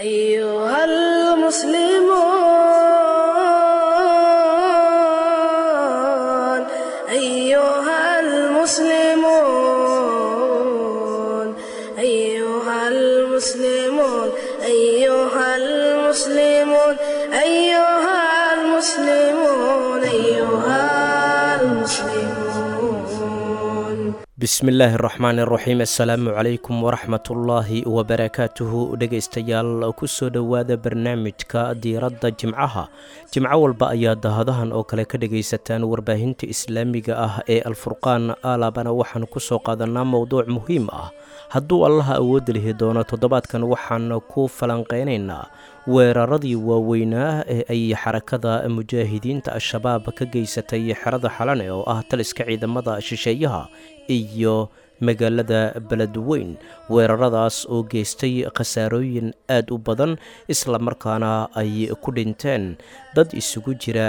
أيها المسلمون، أيها المسلمون، أيها المسلمون، أيها المسلمون، أيها المسلمون. Bismillaahi raxmaani raxiim, assalaamu calaykum waraxmatullaahi wabarakaatuhu. Dhegaystayaal, kusoo dhowaada barnaamijka diiradda jimcaha. Jimco walba ayaa dahadahan oo kale ka dhagaysataan warbaahinta islaamiga ah ee Alfurqaan. Alaabana waxaan kusoo qaadanaa mowduuc muhiim ah. Hadduu Allaha awood lihi doono, toddobaadkan waxaan ku falanqeynaynaa weeraradii waaweynaa ee ay Xarakada Mujaahidiinta Al-Shabaab ka geysatay xerada Xalane oo ah taliska ciidamada shisheeyaha iyo magaalada Beledweyn, weeraradaas oo geystay khasaarooyin aad u badan, islamarkaana ay ku dhinteen dad isugu jira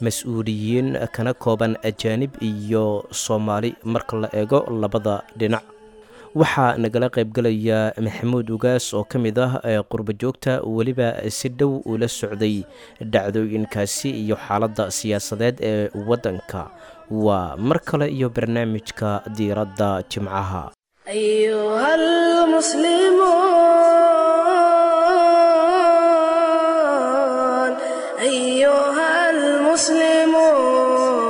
mas-uuliyiin kana kooban ajaanib iyo Soomaali marka la eego labada dhinac. Waxaa nagala qaybgalaya Maxamuud Ugaas oo ka mid ah ee qurbo joogta, weliba si dhow ula socday dhacdooyinkaasi iyo xaaladda siyaasadeed ee waddanka. Waa mar kale iyo barnaamijka diiradda jimcaha. أيها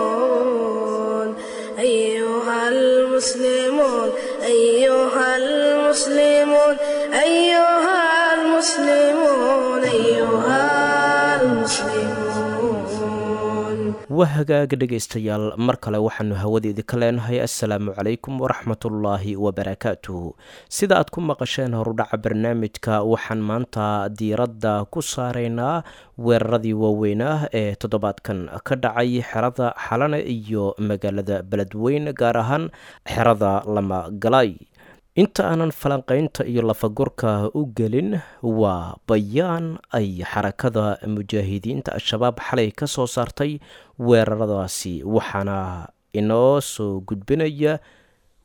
المسلمون، أيها المسلمون، أيها المسلمون، أيها المسلمون، أيها المسلمون. Waa hagaag dhegaystayaal, mar kale waxaanu hawada idinka leenahay assalaamu calaykum waraxmatullaahi wabarakaatuhu. Sida aad ku maqasheen horudhaca barnaamijka, waxaan maanta diiradda ku saaraynaa weeraradii waaweynaa ee toddobaadkan ka dhacay xerada Xalane iyo magaalada Beledweyn, gaar ahaan xerada Lamagalay. Inta aanan falanqaynta iyo lafagurka u gelin, waa bayaan ay Xarakada Mujaahidiinta Al-Shabaab xalay ka soo saartay weeraradaasi, waxaana inoo soo gudbinaya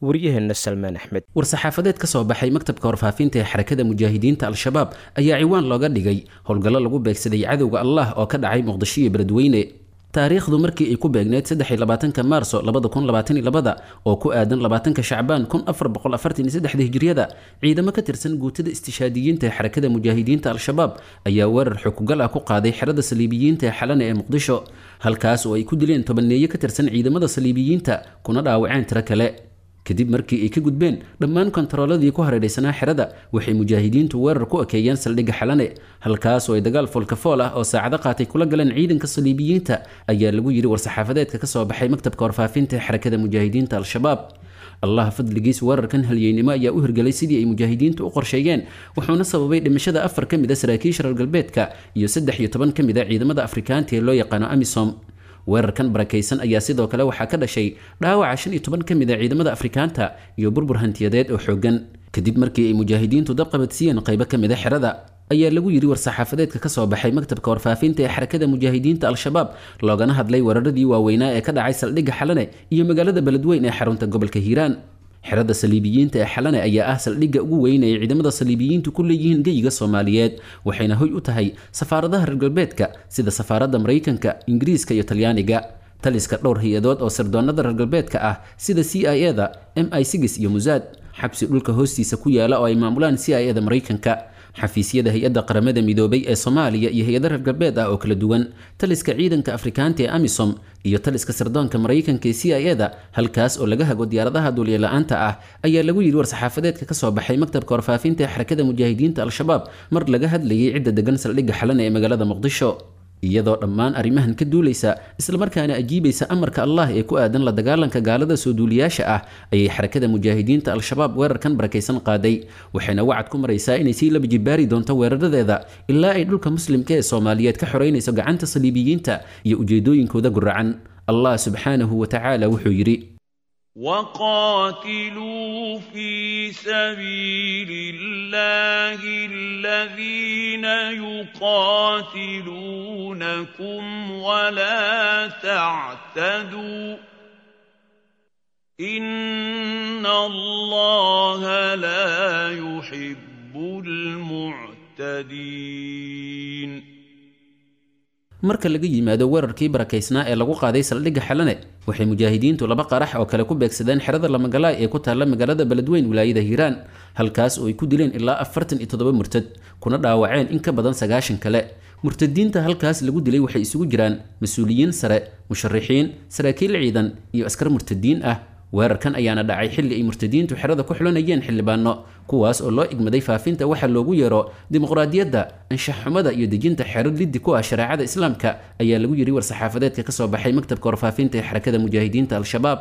waryaheena Salmaan Axmed. War-saxaafadeed ka soo baxay maktabka warfaafinta ee Xarakada Mujaahidiinta Al-Shabaab ayaa ciwaan looga dhigay howlgallo lagu beegsaday cadowga Allah oo ka dhacay Muqdisho iyo Beledweyne. Taariikhdu markii ay ku beegneyd 23-ka Maarso 2022 oo ku aadan 20-ka Shacbaan 1443 Hijriyada, ciidamo ka tirsan guutada istishaadiyiinta ee Xarakada Mujaahidiinta Al-Shabaab ayaa weerar xukugal ah ku qaaday xerada saliibiyiinta ee Xalane ee Muqdisho, halkaas oo ay ku dileen tobaneeye ka tirsan ciidamada saliibiyiinta kuna dhaawaceen tiro kale. Kadib markii ay ka gudbeen dhammaan kontarooladii ku hareeraysanaa xerada, waxay mujaahidiintu weerar ku ekeeyeen saldhigga Xalane, halkaas oo ay dagaal foolkafool ah oo saacado qaatay kula galeen ciidanka saliibiyiinta, ayaa lagu yidhi war-saxaafadeedka ka soo baxay maktabka warfaafinta ee Xarakada Mujaahidiinta Al-Shabaab. Allah fadligiis, weerarkan halyeynimo ayaa u hirgelay sidii ay mujaahidiintu u qorsheeyeen, wuxuuna sababay dhimashada 4 ka mid a saraakiisha reer galbeedka iyo 13 ka mid a ciidamada Afrikaanta ee loo yaqaano AMISOM. Weerarkan barakaysan ayaa sidoo kale waxaa ka dhashay dhaawaca 15 ka mid a ciidamada Afrikaanta iyo burbur hantiyadeed oo xooggan, kadib markii ay mujaahidiintu dabqabadsiiyeen qaybo ka mid a xerada, ayaa lagu yidhi war-saxaafadeedka ka soo baxay maktabka warfaafinta ee Xarakada Mujaahidiinta Al-Shabaab, loogana hadlay weeraradii waaweynaa ee ka dhacay saldhigga Xalane iyo magaalada Beledweyn ee xarunta gobolka Hiiraan. Xerada saliibiyiinta ee Xalane ayaa ah saldhigga ugu weyn ay ciidamada saliibiyiintu ku leeyihiin geyiga Soomaaliyeed, waxayna hoy u tahay safaaradaha reer galbeedka sida safaaradda Maraykanka, Ingiriiska iyo Talyaaniga, taliska dhowr hay-adood oo sirdoonada reer galbeedka ah sida CIA da, MI iyo Musaad, xabsi dhulka hoostiisa ku yaala oo ay maamulaan CIA da Maraykanka, xafiisyada hay-adda Qaramada Midoobay ee Soomaaliya iyo hay-ada reer galbeed ah oo kala duwan, taliska ciidanka Afrikaanta ee AMISOM iyo taliska sirdoonka Maraykanka ee CIA da, halkaas oo laga hago diyaaradaha duuliye-la-aanta ah, ayaa lagu yidhi war-saxaafadeedka ka soo baxay maktabka warfaafinta ee Xarakada Mujaahidiinta Al-Shabaab mar laga hadlayay cidda degan saldhigga Xalane ee magaalada Muqdisho. Iyadoo dhammaan arrimahan ka duulaysa, islamarkaana ajiibaysa amarka Allah ee ku aadan la dagaalanka gaalada soo duuliyaasha ah, ayay Xarakada Mujaahidiinta Al-Shabaab weerarkan barakaysan qaaday, waxayna wacad ku maraysaa inay sii laba jibaari doonto weeraradeeda ilaa ay dhulka muslimka ee Soomaaliyeed ka xoreynayso gacanta saliibiyiinta iyo ujeedooyinkooda guracan. Allah subxaanahu wa tacaala wuxuu yidhi: وقاتلوا في سبيل الله الذين يقاتلونكم ولا تعتدوا، إن الله لا يحب المعتدين. المعتدين. Marka laga yimaado weerarkii barakaysnaa ee lagu qaaday saldhigga Xalane, waxay mujaahidiintu laba qarax oo kale ku beegsadeen xerada Lamagalaay ee ku taalla magaalada Beledweyn, wilaayada Hiiraan, halkaas oo ay ku dileen ilaa 47 murtad kuna dhaawaceen in ka badan 90 kale. Murtadiinta halkaas lagu dilay waxay isugu jiraan mas-uuliyiin sare, musharixiin, saraakiil ciidan iyo askar murtadiin ah. Weerarkan ayaana dhacay xilli ay murtadiintu xerada ku xulanayeen xildhibaano, kuwaas oo loo igmaday faafinta waxa loogu yeero dimuqraadiyadda, anshax xumada iyo dejinta xero liddi ku ah shareecada Islaamka, ayaa lagu yidhi war-saxaafadeedka kasoo baxay maktabka warfaafinta ee Xarakada Mujaahidiinta Al-Shabaab.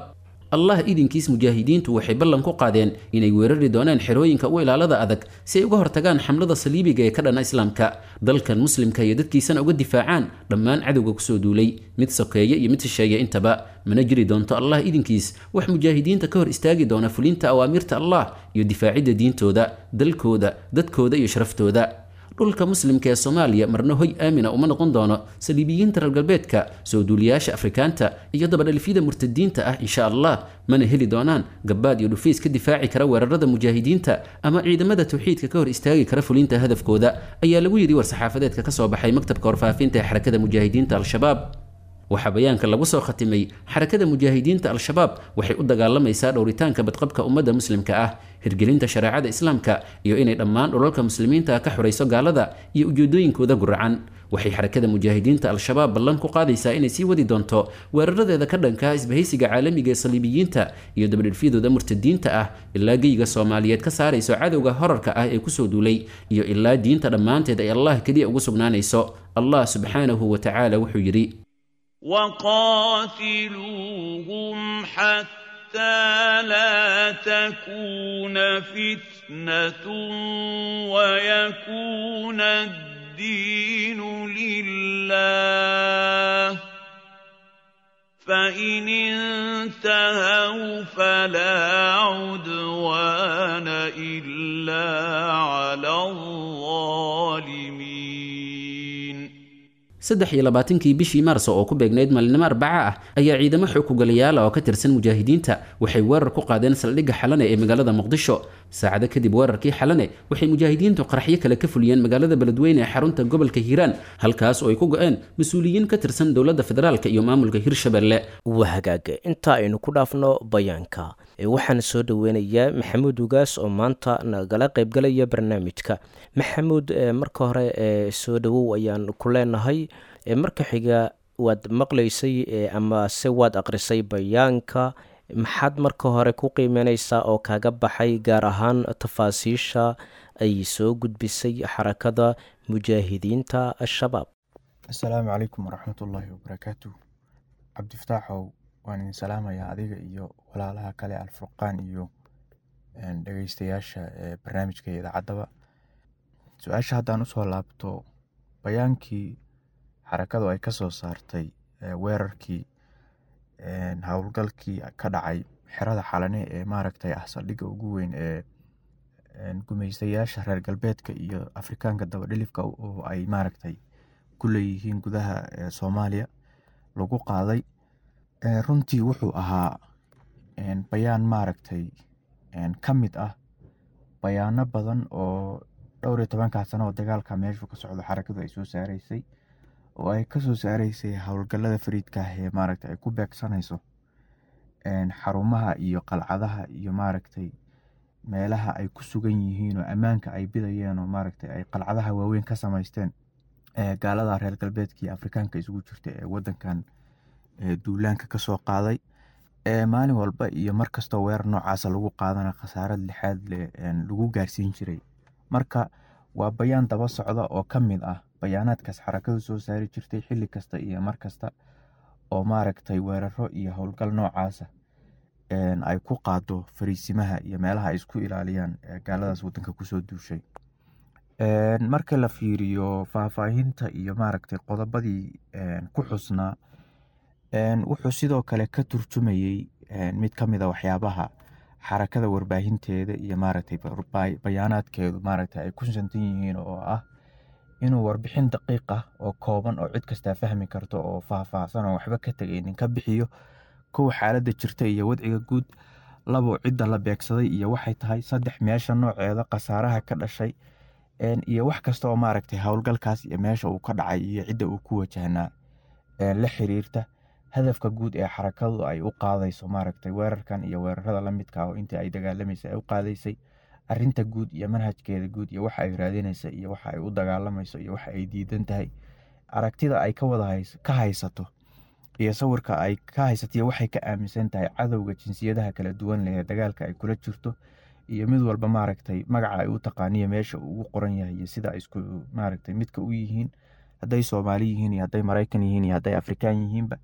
Allah idinkiis, mujaahidiintu waxay ballan ku qaadeen inay weerari doonaan xerooyinka u ilaalada adag si ay uga hortagaan xamlada saliibiga ee ka dhana Islaamka, dalkan Muslimka iyo dadkiisana uga difaacaan dhammaan cadowga kusoo duulay, mid sokeeye iyo mid shisheeye intaba. Mana jiri doonto, Allah idinkiis, wax mujaahidiinta ka hor istaagi doona fulinta awaamirta Allah iyo difaacidda diintooda, dalkooda, dadkooda iyo sharaftooda. Dhulka Muslimka ee Soomaaliya marna hoy aamina uma noqon doono saliibiyiinta reer galbeedka, soo duuliyaasha Afrikaanta iyo dabadhalifyada murtadiinta ah, insha Allah. Mana heli doonaan gabaad iyo dhufays ka difaaci kara weerarada mujaahidiinta ama ciidamada tawxiidka ka hor istaagi kara fulinta hadafkooda, ayaa lagu yidhi war-saxaafadeedka kasoo baxay maktabka warfaafinta ee Xarakada Mujaahidiinta Al-Shabaab. Waxaa bayaanka lagu soo khatimay: Xarakada Mujaahidiinta Al-Shabaab waxay u dagaalamaysaa dhowritaanka badqabka ummadda Muslimka ah, hirgelinta shareecada Islaamka iyo inay dhammaan dhulalka Muslimiinta ka xurayso gaalada iyo ujeedooyinkooda guracan. Waxay Xarakada Mujaahidiinta Al-Shabaab ballan ku qaadaysaa inay sii wadi doonto weeraradeeda ka dhanka ah isbahaysiga caalamiga ee saliibiyiinta iyo dabadhilfyadooda murtadiinta ah ilaa geyga Soomaaliyeed ka saarayso cadowga horarka ah ee kusoo duulay iyo ilaa diinta dhammaanteed ay Allah keliya ugu sugnaanayso. Allah subxaanahu wa tacaala wuxuu yidhi: وقاتلوهم حتى لا تكون فتنة ويكون الدين لله، فإن انتهوا فلا عدوان إلا على الظالمين. 23-kii bishii Maarso oo ku beegnayd maalinimo Arbaca ah ayaa ciidamo xoogugalayaala oo ka tirsan mujaahidiinta waxay weerar ku qaadeen saldhigga Xalane ee magaalada Muqdisho. Saacado kadib weerarkii Xalane, waxay mujaahidiintu qaraxyo kale ka fuliyeen magaalada Beledweyne ee xarunta gobolka Hiiraan, halkaas oo ay ku go-een mas-uuliyiin ka tirsan dowladda federaalka iyo maamulka Hirshabelle. Waa hagaag, inta aynu ku dhaafno bayaanka, waxaan soo dhoweynayaa Maxamuud Ugaas oo maanta nagala qaybgalaya barnaamijka. Maxamuud, marka hore soo dhowow ayaan ku leenahay. Marka xiga, waad maqlaysay ama se waad aqrisay bayaanka. Maxaad marka hore ku qiimeyneysaa oo kaaga baxay, gaar ahaan tafaasiisha ay soo gudbisay Xarakada Mujaahidiinta Al-Shabaab? Asalaamu calaykum waraxmatullaahi wabarakaatu. Cabdifataaxow, waan idin salaamayaa adiga iyo walaalaha kale Alfurqaan iyo dhegeystayaasha barnaamijka iyo idaacaddaba. Su-aasha haddaan usoo laabto, bayaankii xarakadu ay kasoo saartay weerarkii howlgalkii ka dhacay xerada Xalane ee maaragtay ah saldhigga ugu weyn ee gumeystayaasha reer galbeedka iyo Afrikaanka dabadhilifka oo ay maaragtay ku leeyihiin gudaha Soomaaliya lagu qaaday, runtii wuxuu ahaa bayaan maaragtay ka mid ah bayaano badan oo dhowr iyo tobankaa sano oo dagaalka meeshu ka socdo xarakadu ay soo saareysay, oo ay kasoo saareysay howlgallada fariidka ah ee maaragtay ay ku beegsanayso xarumaha iyo qalcadaha iyo maaragtay meelaha ay ku sugan yihiin oo ammaanka ay bidayeen oo maaragtay ay qalcadaha waaweyn ka samaysteen gaalada reer galbeedka iyo Afrikaanka isugu jirta ee wadankan duulaanka kasoo qaaday. Maalin walba iyo mar kastoo weerar noocaasa lagu qaadana khasaarad lixaad leh lagu gaarsiin jiray. Marka waa bayaan daba socda oo ka mid ah bayaanaadkaas xarakadu soo saari jirtay xilli kasta iyo mar kasta oo maaragtay weeraro iyo howlgal noocaasa ay ku qaado fariisimaha iyo meelaha ay isku ilaaliyaan gaaladaas wadanka kusoo duushay. Marka la fiiriyo faahfaahinta iyo maaragtay qodobadii ku xusnaa, wuxuu sidoo kale ka turjumayey mid ka mid a waxyaabaha xarakada warbaahinteeda iyo maaragtay bayaanaadkeedu maaragtay ay ku santan yihiin, oo ah inuu warbixin daqiiq ah oo kooban oo cid kastaa fahmi karto oo faahfaahsan oo waxba ka tegaynin ka bixiyo: kow, xaaladda jirta iyo wadciga guud; labo, cidda la beegsaday iyo waxay tahay; saddex, meesha nooceeda, khasaaraha ka dhashay. Iyo wax kasta oo maaragtay howlgalkaas iyo meesha uu ka dhacay iyo cidda uu ku wajahnaa la xiriirta hadafka guud ee xarakadu ay u qaadayso maaragtay weerarkan iyo weerarada la midka ah oo intii ay dagaalamaysay ay u qaadaysay, arrinta guud iyo manhajkeeda guud iyo waxa ay raadinaysa iyo waxa ay u dagaalamayso iyo waxa ay diidan tahay, aragtida ay ka wada ka haysato iyo sawirka ay ka haysato iyo waxay ka aaminsan tahay cadowga jinsiyadaha kala duwan leh ee dagaalka ay kula jirto, iyo mid walba maaragtay magaca ay u taqaaniyo meesha uu ugu qoran yahay iyo sida ay isku maaragtay midka u yihiin, hadday Soomaali yihiin iyo hadday Maraykan yihiin iyo hadday Afrikaan yihiinba.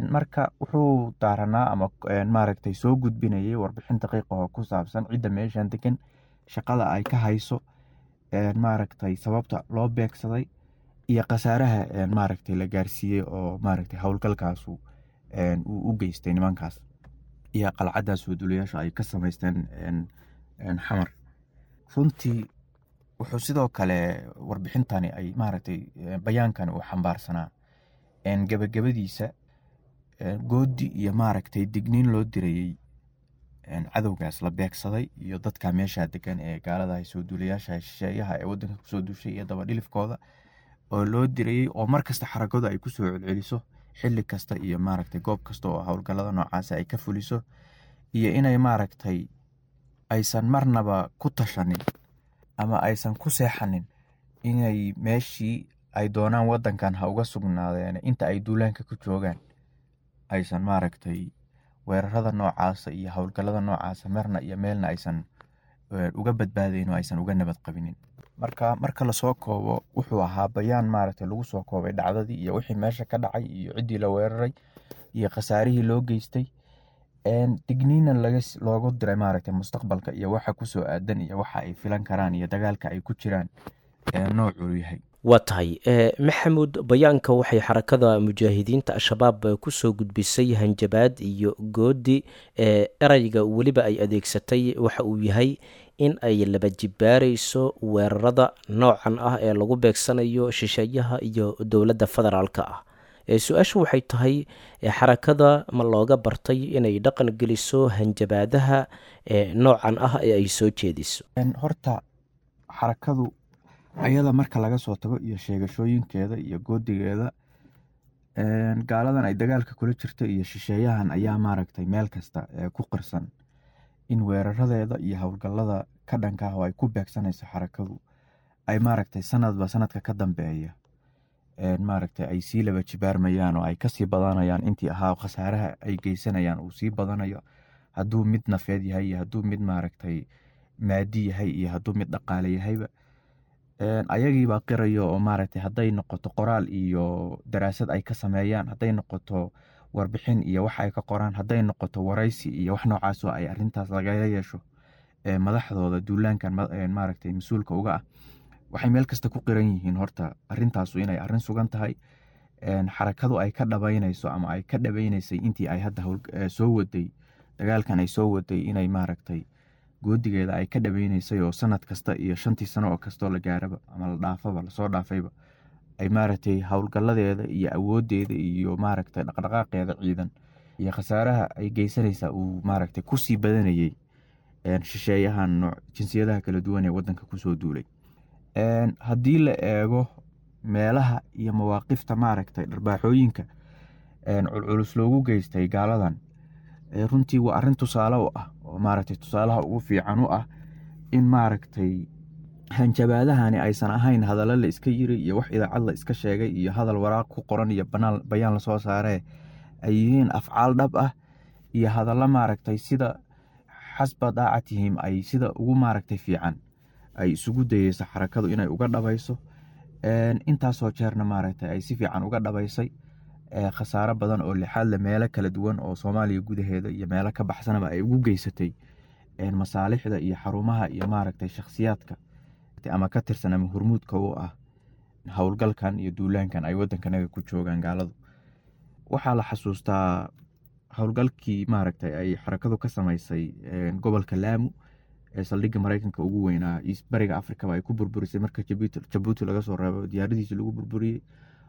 Marka wuxuu daaranaa ama maaragtay soo gudbinayay warbixin daqiiq ah oo ku saabsan cidda meeshan degan, shaqada ay ka hayso, maaragtay sababta loo beegsaday iyo khasaaraha maaragtay la gaarsiiyey oo maaragtay howlgalkaasu uu u geystay nimankaas iyo qalcaddaas duulayaasha ay ka samaysteen Xamar. Runtii wuxuu sidoo kale warbixintani ay maaragtay bayaankani uu xambaarsanaa gebagabadiisa goodi iyo maaragtay digniin loo dirayey cadowgaas la beegsaday iyo dadka meesha degan ee gaalada soo duulayaasha shisheeyaha ee wadanka kusoo duushay iyo dabadhilifkooda oo loo dirayey, oo mar kasta xarakadu ay kusoo celceliso xilli kasta iyo maaragtay goob kasta oo howlgallada noocaas ay ka fuliso, iyo inay maaragtay aysan marnaba ku tashanin ama aysan ku seexanin inay meeshii ay doonaan wadankan ha uga sugnaadeen inta ay duulaanka ku joogaan aysan maaragtay weerarada noocaasa iyo howlgallada noocaasa marna iyo meelna aysan uga badbaadayn oo aysan uga nabad qabinin. Marka lasoo koobo, wuxuu ahaa bayaan maaragtay lagu soo koobay dhacdadii iyo wixii meesha ka dhacay iyo ciddii la weeraray iyo khasaarihii loo geystay, digniina loogu diray maaragtay mustaqbalka iyo waxa kusoo aadan iyo waxa ay filan karaan iyo dagaalka ay ku jiraan noocuu yahay. Waa tahay Maxamuud, bayaanka waxay Xarakada Mujaahidiinta Al-Shabaab kusoo gudbisay hanjabaad iyo goodi. Ereyga weliba ay adeegsatay waxa uu yahay in ay laba jibaarayso weerarada noocan ah ee lagu beegsanayo shisheeyaha iyo dowladda federaalka ah. Su-aashu waxay tahay, xarakada ma looga bartay inay dhaqan geliso hanjabaadaha noocan ah ee ay soo jeediso? Horta xarakadu ayada marka laga soo tago iyo sheegashooyinkeeda iyo goodigeeda, gaaladan ay dagaalka kula jirta iyo shisheeyahan ayaa maaragtay meel kasta ku qirsan in weeraradeeda iyo howlgallada ka dhanka ah oo ay ku beegsanayso xarakadu ay maaragtay sanadba sanadka ka dambeeya maaragtay ay sii laba jibaarmayaan oo ay kasii badanayaan intii ahaa, khasaaraha ay geysanayaan uu sii badanayo, hadduu mid nafeed yahay iyo hadduu mid maaragtay maadi yahay iyo hadduu mid dhaqaale yahayba. Ayagiibaa qirayo oo maaragtay hadday noqoto qoraal iyo daraasad ay ka sameeyaan, hadday noqoto warbixin iyo wax ay ka qoraan, hadday noqoto waraysi iyo wax noocaas oo ay arrintaas lagala yeesho madaxdooda duulaankan maaragtay mas-uulka uga ah, waxay meel kasta ku qiran yihiin horta arrintaasu inay arrin sugan tahay, xarakadu ay ka dhabaynayso ama ay ka dhabaynaysay intii ay hadda soo waday dagaalkan ay soo waday, inay maaragtay goodigeeda ay ka dhabaynaysay oo sanad kasta iyo 5tii sano oo kastoo la gaaraba ama la dhaafaba lasoo dhaafayba ay maaragtay howlgalladeeda iyo awooddeeda iyo maaragtay dhaqdhaqaaqeeda ciidan iyo khasaaraha ay geysanaysaa uu maaragtay kusii badanayey shisheeyahan nooc jinsiyadaha kala duwan ee wadanka kusoo duulay. Haddii la eego meelaha iyo mawaaqifta maaragtay dharbaaxooyinka culculus loogu geystay gaaladan, runtii waa arrin tusaale u ah oo maaragtay tusaalaha ugu fiican u ah in maaragtay hanjabaadahani aysan ahayn hadallo la iska yiri iyo wax idaacad la iska sheegay iyo hadal waraaq ku qoran iyo banaan bayaan lasoo saaree, ay yihiin afcaal dhab ah iyo hadallo maaragtay sida xasba daacatihim ay sida ugu maaragtay fiican ay isugu dayeyso xarakadu inay uga dhabayso. Intaasoo jeerna maaragtay ay si fiican uga dhabaysay, khasaaro badan oo lixaad le meelo kala duwan oo Soomaaliya gudaheeda iyo meelo ka baxsanaba ay ugu geysatay masaalixda iyo xarumaha iyo maaragtay shakhsiyaadka ama ka tirsan ama hormuudka u ah howlgalkan iyo duulaankan ay wadankanaga ku joogaan gaaladu. Waxaa la xasuustaa howlgalkii maaragtay ay xarakadu ka samaysay gobolka Laamu ee saldhigga Maraykanka ugu weynaa bariga Afrikaba ay ku burburisay marka Jabuuti laga soo reebo diyaaradihiisi lagu burburiyey.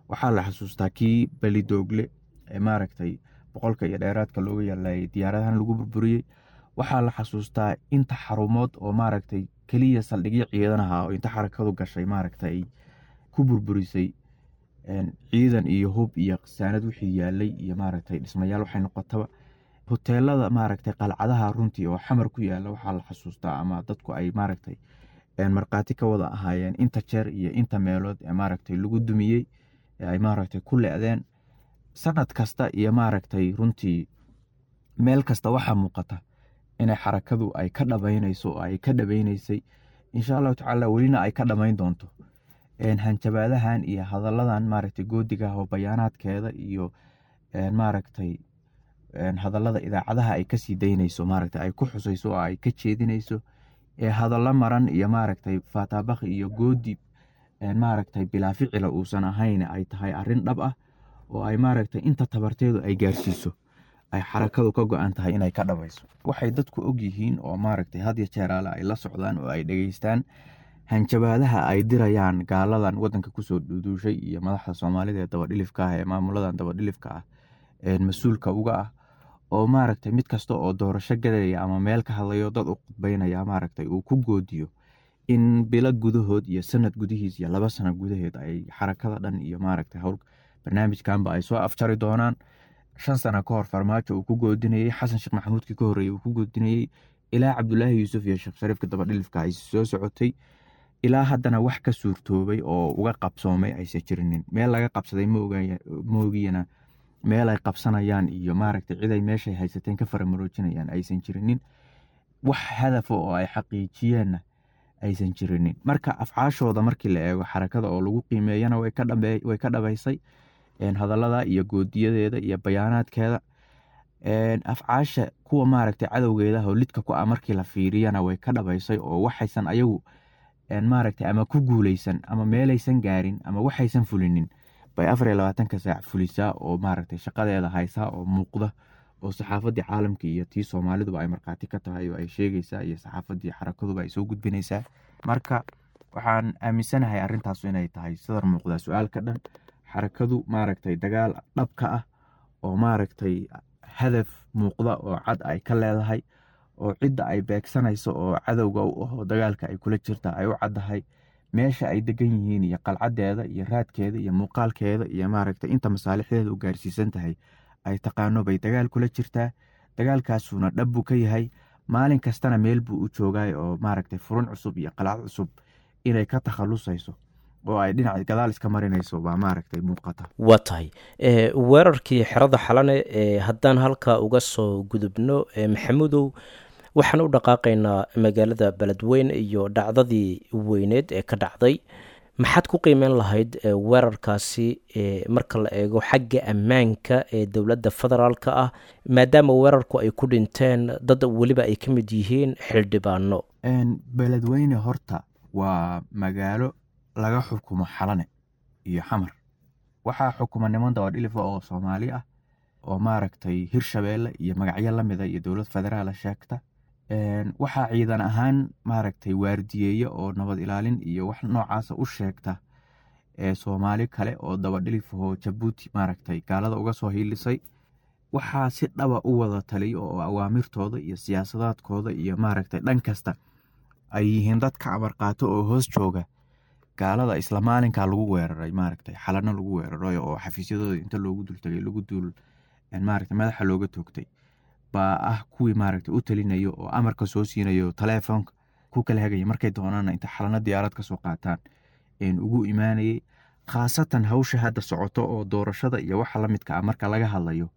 Waxaa la xasuustaa kii Balidoogle ee maaragtay 100ka iyo dheeraadka looga yaalayay diyaaradahan lagu burburiyey. Waxaa la xasuustaa inta xarumood oo maaragtay Keliya saldhigyo ciidan ahaa oo inta xarakadu gashay maaragtay ku burburisay ciidan iyo hub iyo saanad wixii yaalay iyo maaragtay dhismayaal waxay noqotaba. Hoteelada maaragtay qalcadaha runtii oo Xamar ku yaala waxaa la xasuustaa ama dadku ay maaragtay markhaati ka wada ahaayeen inta jeer iyo inta meelood ee maaragtay lagu dumiyey ee ay maaragtay ku le'deen sanad kasta iyo maaragtay runtii meel kasta. Waxaa muuqata inay xarakadu ay ka dhabaynayso oo ay ka dhabaynaysay, insha Allahu tacaala welina ay ka dhamayn doonto hanjabaadahan iyo hadalladan maaragtay goodiga oo bayaanaadkeeda iyo maaragtay hadallada idaacadaha ay kasii daynayso, maaragtay ay ku xusayso oo ay ka jeedinayso ee hadallo maran iyo maaragtay faataabakhi iyo goodi maaragtay bilaa ficila uusan ahayn, ay tahay arrin dhab ah oo ay maaragtay inta tabarteedu ay gaarsiiso ay xarakadu ka go-an tahay inay ka dhabayso. Waxay dadku og yihiin oo maaragtay had iyo jeer ale ay la socdaan oo ay dhegeystaan hanjabaadaha ay dirayaan gaaladan wadanka kusoo duuduushay iyo madaxda Soomaalida ee dabadhilifka ah ee maamuladan dabadhilifka ah ee mas-uulka uga ah, oo maaragtay mid kasta oo doorasho galaya ama meel ka hadlayo dad u khudbaynaya maaragtay uu ku goodiyo in bilo gudahood iyo sanad gudihiis iyo 2 sano gudaheed ay xarakada dhan iyo maaragtay howl barnaamijkanba ay soo afjari doonaan. 5 sano ka hor Farmaajo uu ku goodinayey, Xasan Sheekh Maxamuudkii ka horreeyey uu ku goodinayey, ilaa Cabdulaahi Yuusuf iyo Sheekh Shariifka dabadhilifka ay soo socotay, ilaa haddana wax ka suurtoobay oo uga qabsoomay aysan jirinin. Meel laga qabsaday maogiyana meel ay qabsanayaan iyo maaragtay cid ay meeshay haysateen ka faramaroojinayaan aysan jirinin, wax hadafa oo ay xaqiijiyeenna aysan jirinin. Marka afcaashooda markii la eego xarakada oo lagu qiimeeyana way ka dhabaysay hadallada iyo goodiyadeeda iyo bayaanaadkeeda. Afcaasha kuwa maaragtay cadowgeeda oo lidka ku ah markii la fiiriyana way ka dhabaysay, oo waxaysan ayagu maaragtay ama ku guuleysan ama meelaysan gaarin ama waxaysan fulinin bay 24-ka saac fulisaa oo maaragtay shaqadeeda haysaa oo muuqda oo saxaafaddii caalamka iyo tii Soomaaliduba ay markhaati ka tahay oo ay sheegaysaa iyo saxaafaddii xarakaduba ay soo gudbinaysaa. Marka waxaan aaminsanahay arrintaasu inay tahay sadar muuqdaa su-aal ka dhan. Xarakadu maaragtay dagaal dhabka ah oo maaragtay hadaf muuqda oo cad ay ka leedahay oo cidda ay beegsanayso oo cadowga u ahoo dagaalka ay kula jirta ay u caddahay, meesha ay degan yihiin iyo qalcadeeda iyo raadkeeda iyo muuqaalkeeda iyo maaragtay inta masaalixdeeda u gaarsiisan tahay ay taqaano bay dagaal kula jirtaa. Dagaalkaasuna dhab buu ka yahay, maalin kastana meel buu u joogaay oo maaragtay furun cusub iyo qalcad cusub inay ka takhalusayso oo ay dhinaca gadaal iska marinayso baa maaragtay muuqata. Waa tahay. Weerarkii xerada Xalane haddaan halkaa uga soo gudubno, Maxamuudow, waxaan u dhaqaaqaynaa magaalada Beledweyne iyo dhacdadii weyneed ee ka dhacday. Maxaad ku qiimeyn lahayd weerarkaasi marka la eego xagga ammaanka ee dowladda federaalka ah, maadaama weerarku ay ku dhinteen dad weliba ay ka mid yihiin xildhibaano? Beledweyne horta waa magaalo laga xukumo Xalane iyo Xamar. Waxaa xukuma niman dabadhilifa oo Soomaali ah oo maaragtay Hirshabeelle iyo magacyo lamida iyo dowlad federaala sheegta. Waxaa ciidan ahaan maaragtay waardiyeeye oo nabad ilaalin iyo wax noocaasa u sheegta ee Soomaali kale oo dabadhilifahoo Jabuuti maaragtay gaalada uga soo hiilisay. Waxaa si dhaba u wada taliyo oo awaamirtooda iyo siyaasadaadkooda iyo maaragtay dhan kasta ay yihiin dadka amar qaato oo hoos jooga gaalada isla maalinkaa lagu weeraray maaragtay Xalano lagu weeraray oo xafiisyadooda inta loogu dultagay lagu duul maaragtay madaxa looga toogtay baa ah kuwii maaragtay u talinayo oo amarka soo siinayo, taleefoonka ku kala hagaya, markay doonaana inta Xalano diyaarad ka soo qaataan ugu imaanayay. Khaasatan hawsha hadda socoto oo doorashada iyo waxa la midka ah marka laga hadlayo,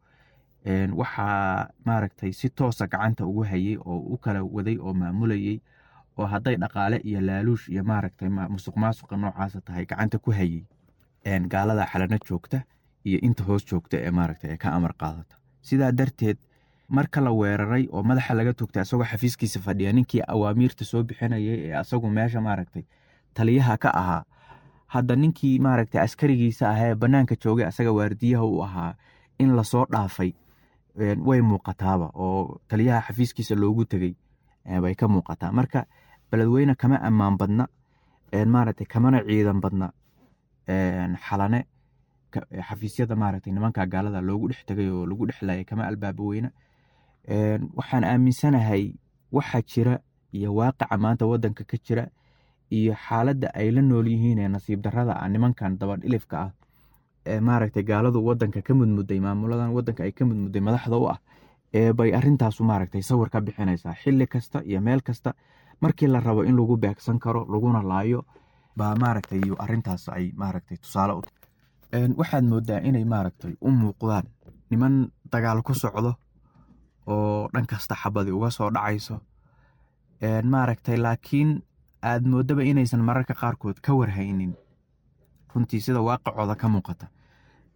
waxaa maaragtay si toosa gacanta ugu hayay oo u kala waday oo maamulayay oo hadday dhaqaale iyo laaluush iyo maaragtay musuq maasuqa noocaasa tahay gacanta ku hayay gaalada Xalano joogta iyo inta hoos joogta ee maaragtay ee ka amar qaadata. Sidaa darteed marka la weeraray oo madaxa laga toogtay asagoo xafiiskiisa fadhiya ninkii awaamiirta soo bixinayay ee asagu meesha maaragtay taliyaha ka ahaa, hadda ninkii maaragtay askarigiisa ahaa ee bannaanka joogay asaga waardiyaha u ahaa in lasoo dhaafay way muuqataaba oo taliyaha xafiiskiisa loogu tegey bay ka muuqataa. Marka Beledweyne kama ammaan badna maaragtay kamana ciidan badna Xalane. Xafiisyada maaragtay nimanka gaalada loogu dhex tegay oo lagu dhex laayay kama albaabo weyna. Waxaan aaminsanahay waxaa jira iyo waaqica maanta wadanka ka jira iyo xaaladda ay la nool yihiin ee nasiib darrada ah nimankan dabadhilifka ah ee maaragtay gaaladu wadanka ka mudmuday, maamuladan wadanka ay ka mudmuday madaxda u ah, ee bay arrintaasu maaragtay sawir ka bixinaysaa. Xilli kasta iyo meel kasta markii la rabo in lagu beegsan karo laguna laayo baa maaragtay iyo arrintaas ay maaragtay tusaale u tahay. Waxaad moodaa inay maaragtay u muuqdaan niman dagaal ku socdo oo dhan kasta xabadi uga soo dhacayso, maaragtay, laakiin aad moodaba inaysan mararka qaarkood ka warhaynin runtii sida waaqicooda ka muuqata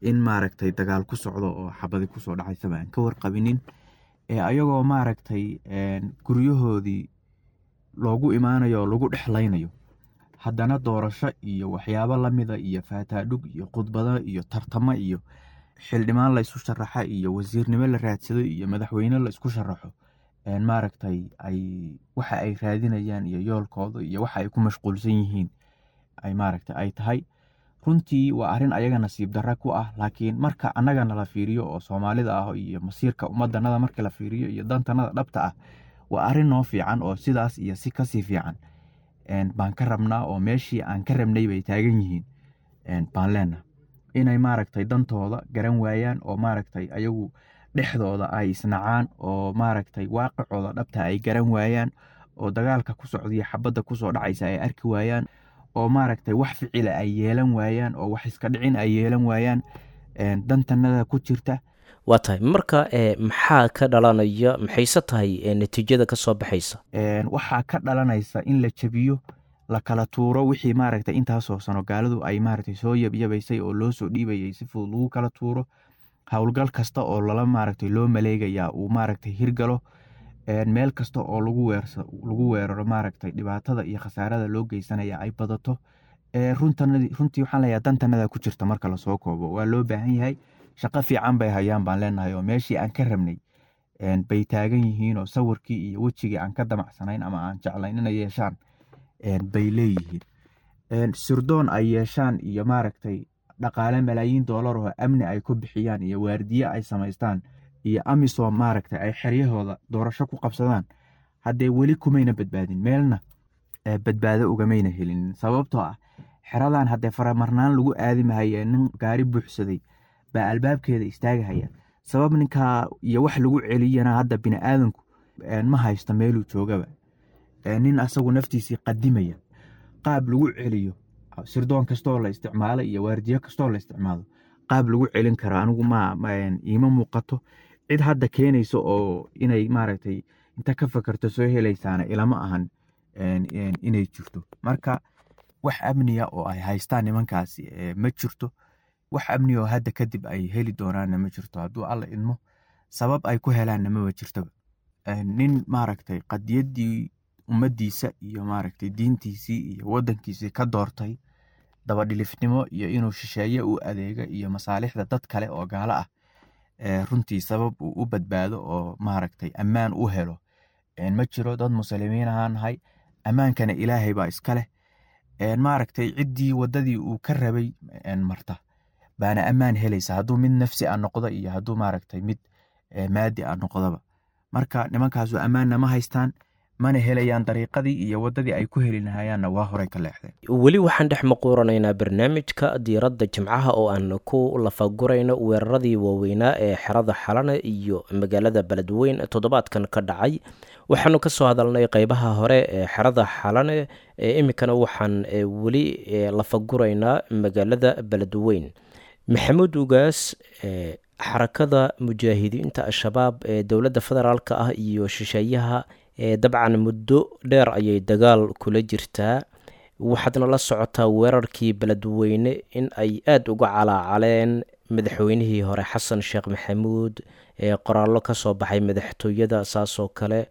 in maaragtay dagaal ku socdo oo xabadi kusoo dhacaysaba aan ka warqabinin, ee ayagoo maaragtay guryahoodii loogu imaanayo oo lagu dhexlaynayo, haddana doorasho iyo waxyaabo lamida iyo faataadhug iyo khudbado iyo tartamo iyo xildhibaan la isu sharaxa iyo wasiirnimo la raadsado iyo madaxweyne la isku sharaxo, maaragtay ay waxa ay raadinayaan iyo yoolkooda iyo waxa ay ku mashquulsan yihiin ay maaragtay ay tahay. Runtii waa arrin ayaga nasiib darra ku ah, laakiin marka annagana la fiiriyo oo Soomaalida ah iyo masiirka ummadanada marka la fiiriyo iyo dantanada dhabta ah, waa arrin noo fiican oo sidaas iyo si kasii fiican baan ka rabnaa, oo meeshii aan ka rabnay bay taagan yihiin baan leenahay. Inay maaragtay dantooda garan waayaan oo maaragtay ayagu dhexdooda ay isnacaan oo maaragtay waaqicooda dhabta ay garan waayaan oo dagaalka ku socdiya xabadda kusoo dhacaysa ay arki waayaan oo maaragtay wax ficila ay yeelan waayaan oo wax iska dhicin ay yeelan waayaan, dantanada ku jirta. Waa tahay. Marka maxaa ka dhalanaya, maxayse tahay natiijada ka soo baxaysa? Waxaa ka dhalanaysa in la jabiyo, la kala tuuro wixii maaragtay intaasoo sano gaaladu ay maaragtay soo yabyabaysay oo loo soo dhiibayay, si fudud lagu kala tuuro. Howlgal kasta oo lala maaragtay loo maleegayaa uu maaragtay hirgalo, meel kasta oo lagu weeraro maaragtay dhibaatada iyo khasaarada loo geysanaya ay badato. Runtii waxaan leeyahay dantanada ku jirta marka lasoo koobo waa loo baahan yahay. Shaqo fiican bay hayaan baan leenahay, oo meeshii aan ka rabnay bay taagan yihiin, oo sawirkii iyo wejigii aan ka damacsanayn ama aan jeclayn inay yeeshaan bay leeyihiin. Sirdoon ay yeeshaan iyo maaragtay dhaqaale malaayiin doolar oo amni ay ku bixiyaan iyo waardiye ay samaystaan iyo AMISOM maaragtay ay xeryahooda doorasho ku qabsadaan, haddee weli kumayna badbaadin, meelna badbaado ugamayna helin, sababtoo ah xeradan haddee faramarnaan lagu aadi mahaye, nin gaari buuxsaday baa albaabkeeda istaagahaya. Sabab ninkaa iyo wax lagu celiyana hadda biniaadanku ma haysto meeluu joogaba, nin asagu naftiisii qadimaya qaab lagu celiyo sirdoon kastoo la isticmaalo iyo waardiyo kastoo la isticmaalo qaab lagu celin karo anigu ma iima muuqato. Cid hadda keenaysa oo inay maaragtay inta ka fakarto soo helaysaana ilama ahan inay jirto. Marka wax amniya oo ay haystaan nimankaasi ma jirto, wax amniya oo hadda kadib ay heli doonaanna ma jirto hadduu Alla idmo, sabab ay ku helaanna maba jirtaba. Nin maaragtay qadiyaddii ummaddiisa iyo maaragtay diintiisii iyo waddankiisii ka doortay dabadhilifnimo iyo inuu shisheeye u adeego iyo masaalixda dad kale oo gaalo ah, runtii sabab uu u badbaado oo maaragtay ammaan u helo ma jiro. Dad muslimiin ahaan nahay, ammaankana Ilaahay baa iska leh. Maaragtay ciddii waddadii uu ka rabay marta baana ammaan helaysa, hadduu mid nafsi ah noqdo iyo hadduu maaragtay mid maadi ah noqdoba. Marka nimankaasu ammaanna ma haystaan, mana helayaan, dariiqadii iyo waddadii ay ku heli lahayaanna waa horey ka leexdeen. Weli waxaan dhex maquuranaynaa barnaamijka diiradda jimcaha oo aan ku lafagurayno weeraradii waaweynaa ee xerada Xalane iyo magaalada Beledweyn toddobaadkan ka dhacay. Waxaanu ka soo hadalnay qeybaha hore ee xerada Xalane, iminkana waxaan weli lafaguraynaa magaalada Beledweyn. Maxamuud Ugaas, Xarakada Mujaahidiinta Al-Shabaab ee dowladda federaalka ah iyo shisheeyaha dabcan muddo dheer ayay dagaal kula jirtaa. Waxaadna la socotaa weerarkii Beledweyne in ay aada uga calaacaleen madaxweynihii hore Xasan Sheekh Maxamuud, qoraallo kasoo baxay madaxtooyada, saasoo kale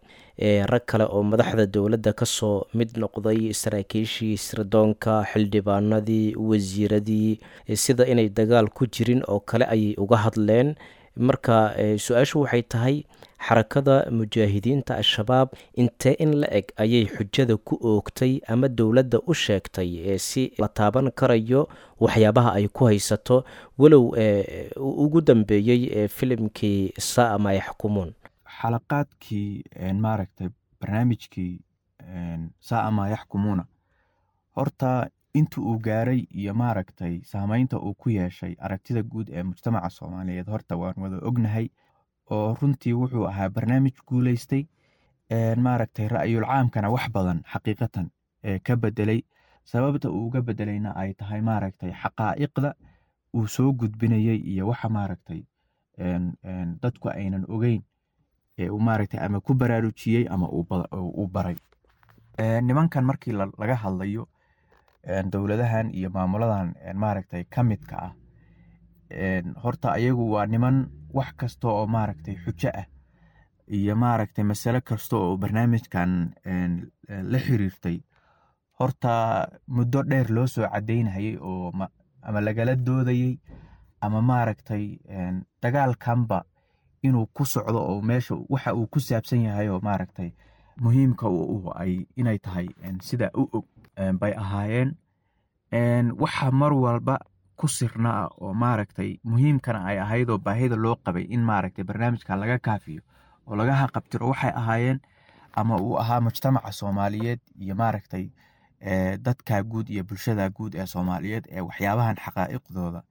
rag kale oo madaxda dowladda kasoo mid noqday, saraakiishii sirdoonka, xildhibaanadii, wasiiradii, sida inay dagaal ku jirin oo kale ayay uga hadleen. Marka su-aashu waxay tahay, Xarakada Mujaahidiinta Al-Shabaab intee in la eg ayay xujada ku oogtay ama dowladda u sheegtay si la taaban karayo waxyaabaha ay ku haysato, walow ugu dambeeyey filimkii saa ma yaxkumuun? Xalaqaadkii maaragtay barnaamijkii Saa maa yaxkumuuna, horta inta uu gaaray iyo maaragtay saameynta uu ku yeeshay aragtida guud ee mujtamaca Soomaaliyeed horta waan wada ognahay, oo runtii wuxuu ahaa barnaamij guuleystay, maaragtay ra'yul caamkana wax badan xaqiiqatan ka bedelay. Sababta uu uga bedelayna ay tahay maaragtay xaqaa'iqda uu soo gudbinayay iyo waxa maaragtay dadku aynan ogeyn ee uu maaragtay ama ku baraarujiyey ama uu baray. Nimankan markii laga hadlayo, dowladahan iyo maamuladan maaragtay ka midka ah, horta ayagu waa niman wax kasta oo maaragtay xujo ah iyo maaragtay masale kasta oo barnaamijkan la xiriirtay horta muddo dheer loo soo cadeynayay oo ama lagala doodayay ama maaragtay dagaalkanba inuu ku socdo oo meesha waxa uu ku saabsan yahay oo maaragtay muhiimka ay inay tahay sida u og bay ahaayeen. Waxa mar walba ku sirna ah oo maaragtay muhiimkana ay ahayd oo baahida loo qabay in maaragtay barnaamijka laga kaafiyo oo laga haqabtiro waxay ahaayeen ama uu ahaa mujtamaca Soomaaliyeed iyo maaragtay dadka guud iyo bulshada guud ee Soomaaliyeed ee waxyaabahan xaqaa'iqdooda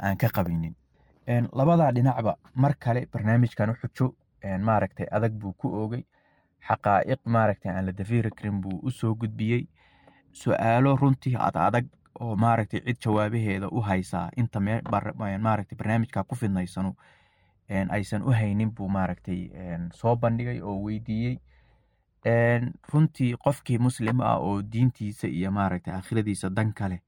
aan ka qabinin. Labada dhinacba mar kale barnaamijkan xujo maaragtay adag buu ku oogay, xaqaa'iq maaragtay aan la dafiri karin buu u soo gudbiyey, su-aalo runtii ad adag oo maaragtay cid jawaabaheeda u haysaa inta maaragtay barnaamijka ku fidnaysanu aysan u haynin buu maaragtay soo bandhigay oo weydiiyey. Runtii qofkii muslim ah oo diintiisa iyo maaragtay aakhiradiisa dan kale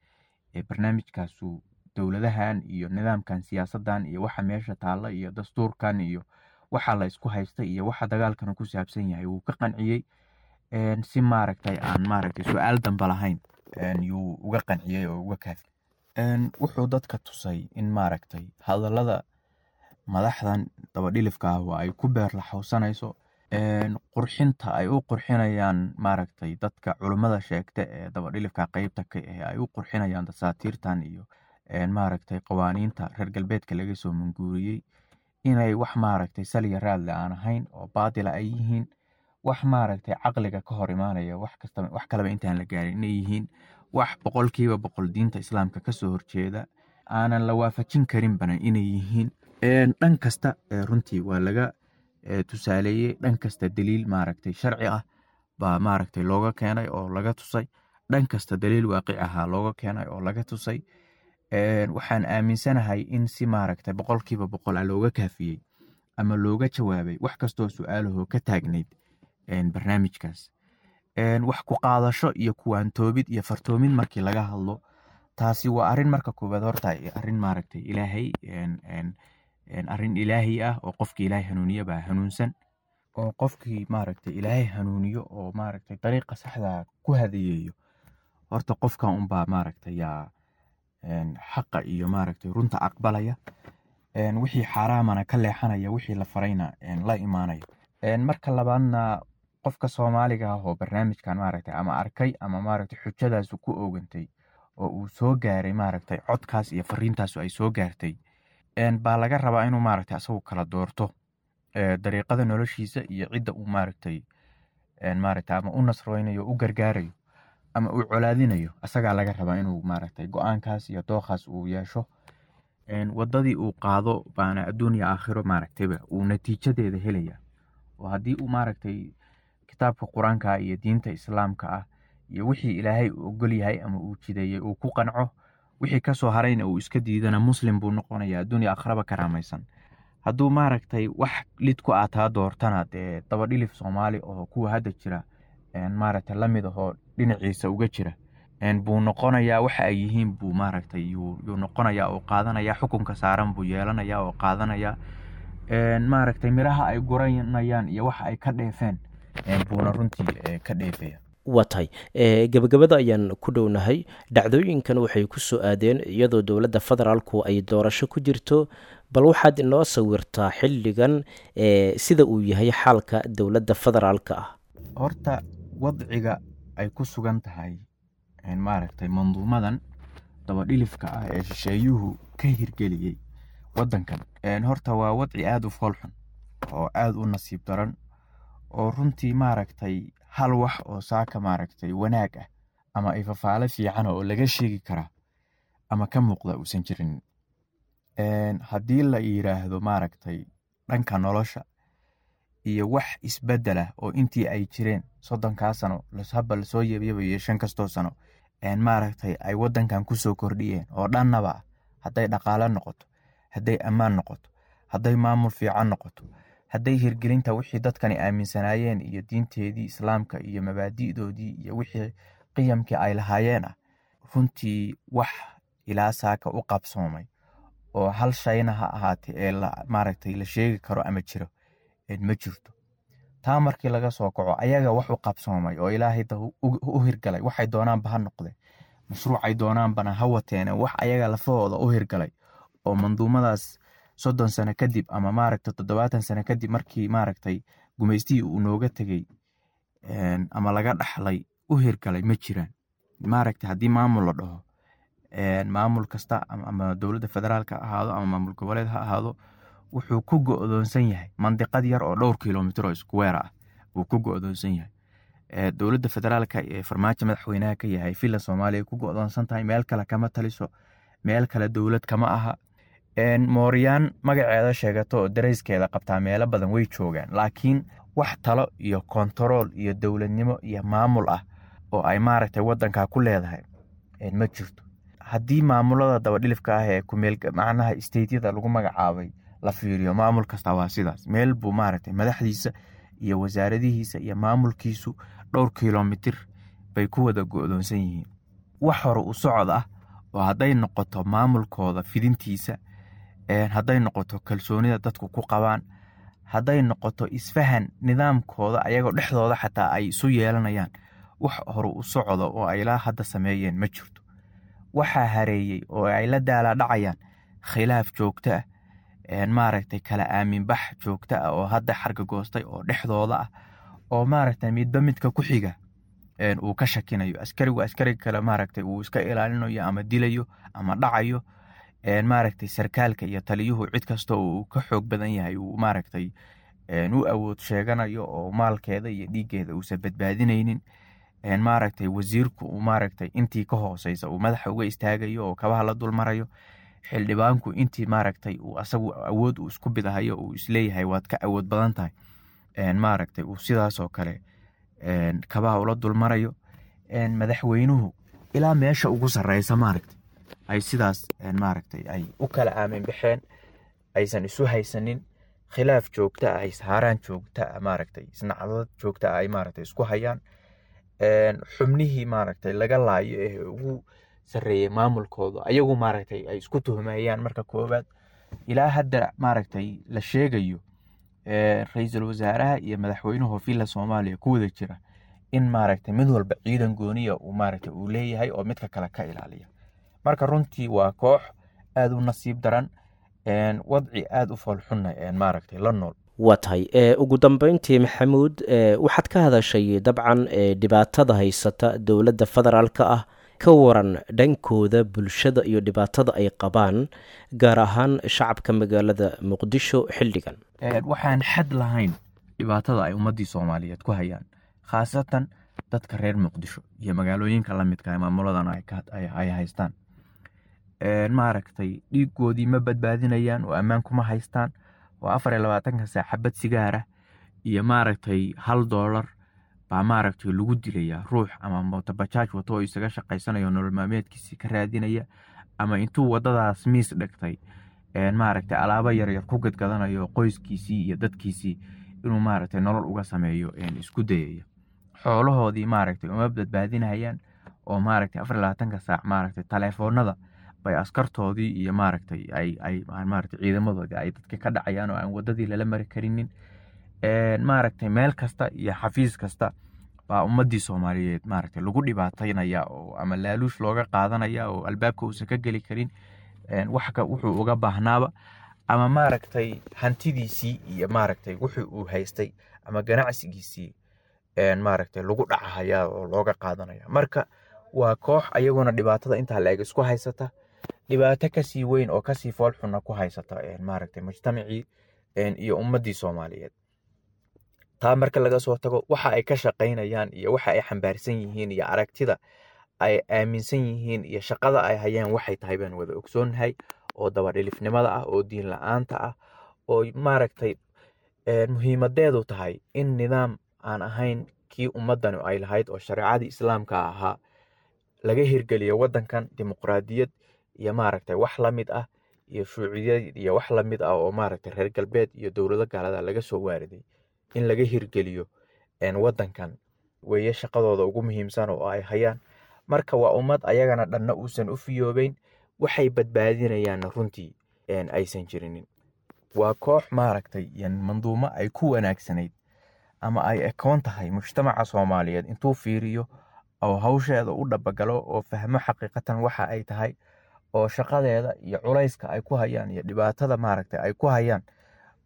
ee barnaamijkaasu dowladahan iyo nidaamkan siyaasadan iyo waxa meesha taalla iyo dastuurkan iyo waxa la isku haysta iyo waxa dagaalkan ku saabsan yahay wuu ka qanciyey, si maaragtay aan maaragtay su-aal damba lahayn yuu uga qanciyey oo uga kaafi. Wuxuu dadka tusay in maaragtay hadallada madaxdan dabadhilifka ah oo ay ku beer laxawsanayso, qurxinta ay u qurxinayaan maaragtay dadka culummada sheegta ee dabadhilifka qeybta ka ah ay u qurxinayaan dasaatiirtan iyo maaragtay qawaaniinta reer galbeedka laga soo manguuriyey inay wax maaragtay saliya raadle aan ahayn oo baatila ay yihiin, wax maaragtay caqliga ka hor imaanaya, wax kastaba wax kaleba intaan la gaarin inay yihiin wax 100% diinta islaamka kasoo horjeeda aanan la waafajin karinbana inay yihiin. Dhan kasta runtii waa laga tusaaleeyey, dhan kasta daliil maaragtay sharci ah baa maaragtay looga keenay oo laga tusay, dhan kasta daliil waaqic ahaa looga keenay oo laga tusay. Waxaan aaminsanahay in si maaragtay 100% ah looga kaafiyey ama looga jawaabay wax kastoo su-aalahoo ka taagnayd barnaamijkaas. Wax ku qaadasho iyo kuwaantoobid iyo fartoomid markii laga hadlo, taasi waa arrin marka koowaad horta arrin maaragtay ilaahay arrin ilaahi ah oo qofkii ilaahay hanuuniye baa hanuunsan, oo qofkii maaragtay ilaahay hanuuniyo oo maaragtay dariiqa saxda ku hadeeyeeyo horta qofkan unbaa maaragtay yaa xaqa iyo maaragtay runta aqbalaya, wixii xaaraamana ka leexanaya, wixii la farayna la imaanaya. Marka labaadna qofka Soomaaliga ah oo barnaamijkan maaragtay ama arkay ama maaragtay xujadaasu ku oogantay oo uu soo gaaray maaragtay codkaas iyo fariintaasu ay soo gaartay, baa laga rabaa inuu maaragtay asagu kala doorto dariiqada noloshiisa iyo cidda uu maaragtay maaragtay ama u nasreynayo, u gargaarayo ama uu colaadinayo. Asagaa laga rabaa inuu maaragtay go-aankaas iyo dooqaas uu yeesho. Wadadii uu qaado baana adduun iyo aakhiro maaragtayba uu natiijadeeda helaya, oo haddii uu maaragtay kitaabka qur-aanka iyo diinta islaamka ah iyo wixii ilaahay uu ogol yahay ama uu jideeyey uu ku qanco, wixii kasoo harayna uu iska diidana, muslim buu noqonaya adduun iyo aakhiraba karaamaysan. Hadduu maaragtay wax lid ku aataa doortana, dee dabadhilif Soomaali oo kuwa hadda jira maaragtay lamid ahoo dhinaciisa uga jira buu noqonayaa, waxa ay yihiin buu maaragtay yuu noqonayaa oo qaadanaya, xukunka saaran buu yeelanayaa oo qaadanaya, maaragtay miraha ay guranayaan iyo waxa ay ka dheefeen buuna runtii ka dheefaya. Waa tahay, gabagabada ayaan ku dhownahay. Dhacdooyinkan waxay ku soo aadeen iyadoo dowladda federaalku ay doorasho ku jirto. Bal waxaad inoo sawirtaa xilligan sida uu yahay xaalka dowladda federaalka ah. Horta wadciga ay ku sugan tahay maaragtay manduumadan dabadhilifka ah ee shisheeyuhu ka hirgeliyey waddankan horta waa wadci aada u foolxun oo aada u nasiib daran, oo runtii maaragtay Hal wax oo saaka maaragtay wanaag ah ama ifafaale fiican oo laga sheegi karaa ama ka muuqda uusan jirin. Haddii la yiraahdo maaragtay dhanka nolosha iyo wax isbedel ah oo intii ay jireen 30-kaa sano haba lasoo yeebyeebayo 5 kastoo sano maaragtay ay wadankan kusoo kordhiyeen oo dhannaba ah, hadday dhaqaale noqoto, hadday ammaan noqoto, hadday maamul fiican noqoto, hadday hirgelinta wixii dadkani aaminsanaayeen iyo diinteedii islaamka iyo mabaadi'doodii iyo wixii qiyamkii ay lahaayeen ah, runtii wax ilaa saaka u qabsoomay oo hal shayna ha ahaatee ee maaragtay la sheegi karo ama jiro ma jirto. Taa markii laga soo kaco, ayaga wax u qabsoomay oo ilaahay u hirgalay, waxay doonaanba ha noqdeen, mashruucay doonaanbana ha wateene, wax ayaga lafahooda u hirgalay oo manduumadaas 30 sano kadib ama maaragtay 70 sano kadib markii maaragtay gumaystihii uu nooga tegey ama laga dhaxlay u hirgalay ma jiraan. Maaragtay haddii maamul la dhaho, maamul kasta ama dowladda federaalka ha ahaado ama maamul goboleed ha ahaado, wuxuu ku go'doonsan yahay mandiqad yar oo dhowr kilomitir oo square ah buu ku go'doonsan yahay. Dowladda federaalka ee Farmaajo madaxweynaha ka yahay Villa Soomaaliya ku go'doonsan tahay, meel kale kama taliso, meel kale dowlad kama aha. Mooryaan magaceeda sheegato oo dareyskeeda qabtaa meelo badan way joogaan, laakiin wax talo iyo kontarool iyo dowladnimo iyo maamul ah oo ay maaragtay wadankaa ku leedahay ma jirto. Haddii maamulada dabadhilifka ah ee kumeel macnaha stateyada lagu magacaabay la fiiriyo, maamul kasta waa sidaas, meel buu maaragtay madaxdiisa iyo wasaaradihiisa iyo maamulkiisu dhowr kilomitir bay ku wada go'doonsan yihiin. Wax hore u socod ah oo hadday noqoto maamulkooda fidintiisa, hadday noqoto kalsoonida dadku ku qabaan, hadday noqoto isfahan nidaamkooda ayagoo dhexdooda xataa ay isu yeelanayaan, wax hore u socdo oo ay ilaa hadda sameeyeen ma jirto. Waxaa hareeyey oo ay la daalaa dhacayaan khilaaf joogto ah, maaragtay kala aaminbax joogto ah oo hadda xarga goostay oo dhexdooda ah, oo maaragtay midba midka ku xiga uu ka shakinayo, askarigu askariga kale maaragtay uu iska ilaalinayo ama dilayo ama dhacayo, maaragtay sarkaalka iyo taliyuhu cid kasta uu ka xoog badan yahay uu maaragtay u awood sheeganayo oo maalkeeda iyo dhiiggeeda uusan badbaadinaynin, maaragtay wasiirku uu maaragtay intii ka hooseysa uu madaxa uga istaagayo oo kabaha la dulmarayo, xildhibaanku intii maaragtay uu asagu awood uu isku bidahayo uu isleeyahay waad ka awood badan tahay, maaragtay uu sidaasoo kale kabaha ula dulmarayo, madaxweynuhu ilaa meesha ugu sareysa maaragtay ay sidaas maaragtay ay u kala aamin baxeen, aysan isu haysanin, khilaaf joogto ah, ishaaraan joogto ah, maaragtay isnacdad joogto ah ay maaragtay isku hayaan. Xubnihii maaragtay laga laayo ee ugu sarreeyay maamulkooda ayagu maaragtay ay isku tuhmayaan. Marka koowaad ilaa hadda maaragtay la sheegayo ra-iisul wasaaraha iyo madaxweynuhu Villa Soomaaliya ku wada jira in maaragtay mid walba ciidan gooniya uu maaragtay uu leeyahay oo midka kale ka ilaaliya. Marka runtii waa koox aada u nasiib daran, wadci aada u foolxunna maaragtay la nool. Waa tahay. Ugu dambeyntii Maxamuud, waxaad ka hadashay dabcan dhibaatada haysata dowladda federaalka ah. Ka waran dhankooda bulshada iyo dhibaatada ay qabaan, gaar ahaan shacabka magaalada Muqdisho xilligan? Waxaan xad lahayn dhibaatada ay ummaddii Soomaaliyeed ku hayaan, khaasatan dadka reer Muqdisho iyo magaalooyinka la midka ah maamuladan ay haystaan. Maaragtay dhiigoodii ma badbaadinayaan oo ammaan kuma haystaan, oo 24-ka saac xabad sigaar ah iyo maaragtay $1 baa maaragtay lagu dilayaa ruux ama mootobajaaj wato oo isaga shaqaysanayo nolol maalmeedkiisii ka raadinaya, ama intuu wadadaas miis dhigtay maaragtay alaabo yaryar ku gadgadanayo qoyskiisii iyo dadkiisii inuu maaragtay nolol uga sameeyo isku dayaya. Xoolahoodii maaragtay uma badbaadinayaan oo maaragtay 24-ka saac maaragtay taleefoonada bay askartoodii iyo maaragtay ay maaragtay ciidamadoodii ay dadka ka dhacayaan oo aan wadadii lala mari karinin. Maaragtay meel kasta iyo xafiis kasta baa ummadii Soomaaliyeed maaragtay lagu dhibaataynaya oo ama laaluush looga qaadanaya oo albaabka uusan ka geli karin wax ka wuxuu uga baahnaaba, ama maaragtay hantidiisii iyo maaragtay wuxuu uu haystay ama ganacsigiisii maaragtay lagu dhacahaya oo looga qaadanaya. Marka waa koox ayaguna dhibaatada intaa la-eg isku haysata, dhibaato kasii weyn oo kasii foolxunna ku haysata maaragtay mujtamacii iyo ummadii Soomaaliyeed. Taa marka laga soo tago, waxa ay ka shaqaynayaan iyo waxa ay xambaarsan yihiin iyo aragtida ay aaminsan yihiin iyo shaqada ay hayaan waxay tahay baan wada ogsoonnahay, oo dabadhilifnimada ah, oo diin la-aanta ah, oo maaragtay muhiimadeedu tahay in nidaam aan ahayn kii ummadani ay lahayd oo shareecadii islaamka ahaa laga hirgeliyo waddankan, dimuqraadiyad iyo maaragtay wax la mid ah iyo shuuciyad iyo wax la mid ah oo maaragtay reer galbeed iyo dowlado gaalada laga soo waariday in laga hirgeliyo waddankan weeye shaqadooda ugu muhiimsan oo ay hayaan. Marka waa ummad ayagana dhanna uusan u fiyoobeyn, waxay badbaadinayaanna runtii aysan jirinin. Waa koox maaragtay manduumo ay ku wanaagsanayd ama ay ekoon tahay mujtamaca Soomaaliyeed intuu fiiriyo oo hawsheeda u dhabagalo oo fahmo xaqiiqatan waxa ay tahay oo shaqadeeda iyo culayska ay ku hayaan iyo dhibaatada maaragtay ay ku hayaan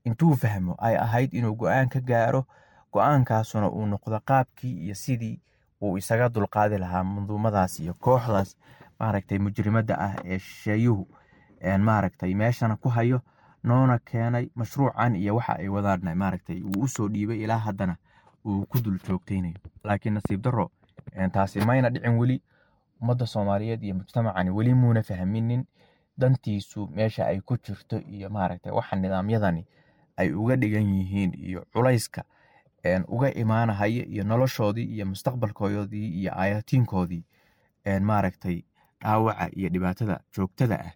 intuu fahmo ay ahayd inuu go-aan ka gaaro, go-aankaasuna uu noqdo qaabkii iyo sidii uu isaga dulqaadi lahaa manduumadaas iyo kooxdaas maaragtay mujrimadda ah ee shisheeyuhu maaragtay meeshana ku hayo, noona keenay mashruucan iyo waxa ay wadaana maaragtay uu usoo dhiibay ilaa haddana uu ku dul joogtaynayo. Laakiin nasiib darro taasi mayna dhicin weli. Ummadda Soomaaliyeed iyo mujtamacani weli muuna fahminin dantiisu meesha ay ku jirto iyo maaragtay waxa nidaamyadani ay uga dhigan yihiin iyo culayska uga imaanahaya iyo noloshoodii iyo mustaqbalkoodii iyo aayatiinkoodii maaragtay dhaawaca iyo dhibaatada joogtada ah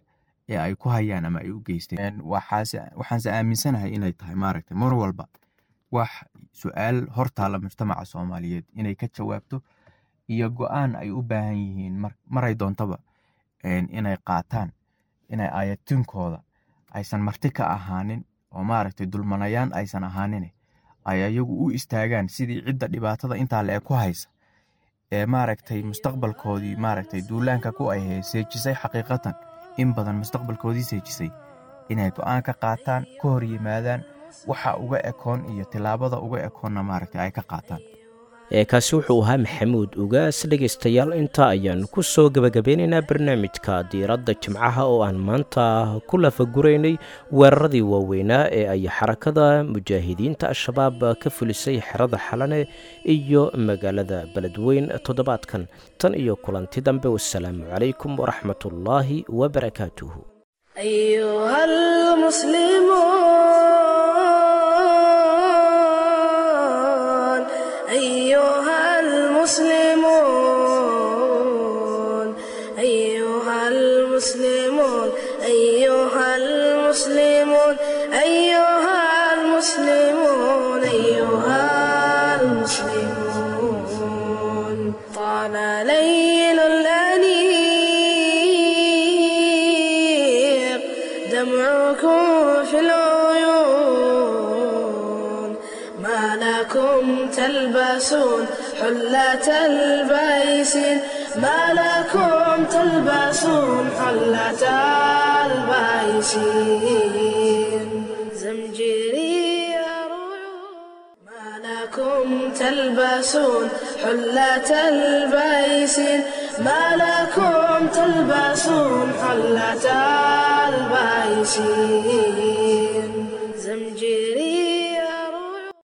ee ay ku hayaan ama ay u geysteen. Waxaanse aaminsanahay inay tahay maaragtay mar walba wax su-aal hortaalla mujtamaca Soomaaliyeed inay ka jawaabto iyo go-aan ay u baahan yihiin maray doontaba inay qaataan, inay aayatiinkooda aysan marti ka ahaanin oo maaragtay dulmanayaan aysan ahaanin, ay ayagu u istaagaan sidii cidda dhibaatada intaa le ku haysa ee maaragtay mustaqbalkoodii maaragtay duulaanka ku ay seejisay, xaqiiqatan in badan mustaqbalkoodii seejisay, inay go-aan ka qaataan, ka hor yimaadaan waxa uga ekoon iyo tilaabada uga ekoonna maaragtay ay ka qaataan. Kaasi wuxuu ahaa Maxamuud Ugaas. Dhegaystayaal, intaa ayaan ku soo gebagabeynaynaa barnaamijka diiradda jimcaha oo aan maanta ku lafaguraynay weeraradii waaweynaa ee ay xarakada mujaahidiinta Al-Shabaab ka fulisay xerada Xalane iyo magaalada Beledweyn toddobaadkan. Tan iyo kulanti dambe, wassalaamu calaykum waraxmatullaahi wabarakaatuhu. أيها المسلمون، أيها المسلمون، أيها المسلمون، أيها المسلمون، أيها المسلمون، أيها المسلمون. طال ليل الأنيق دمعكم في العيون، ما لكم تلبسون حلة البيس، ما لكم تلبسون حلة البيس. زمجري ما لكم تلبسون حلة البيس، ما لكم تلبسون حلة البيس. زمجري.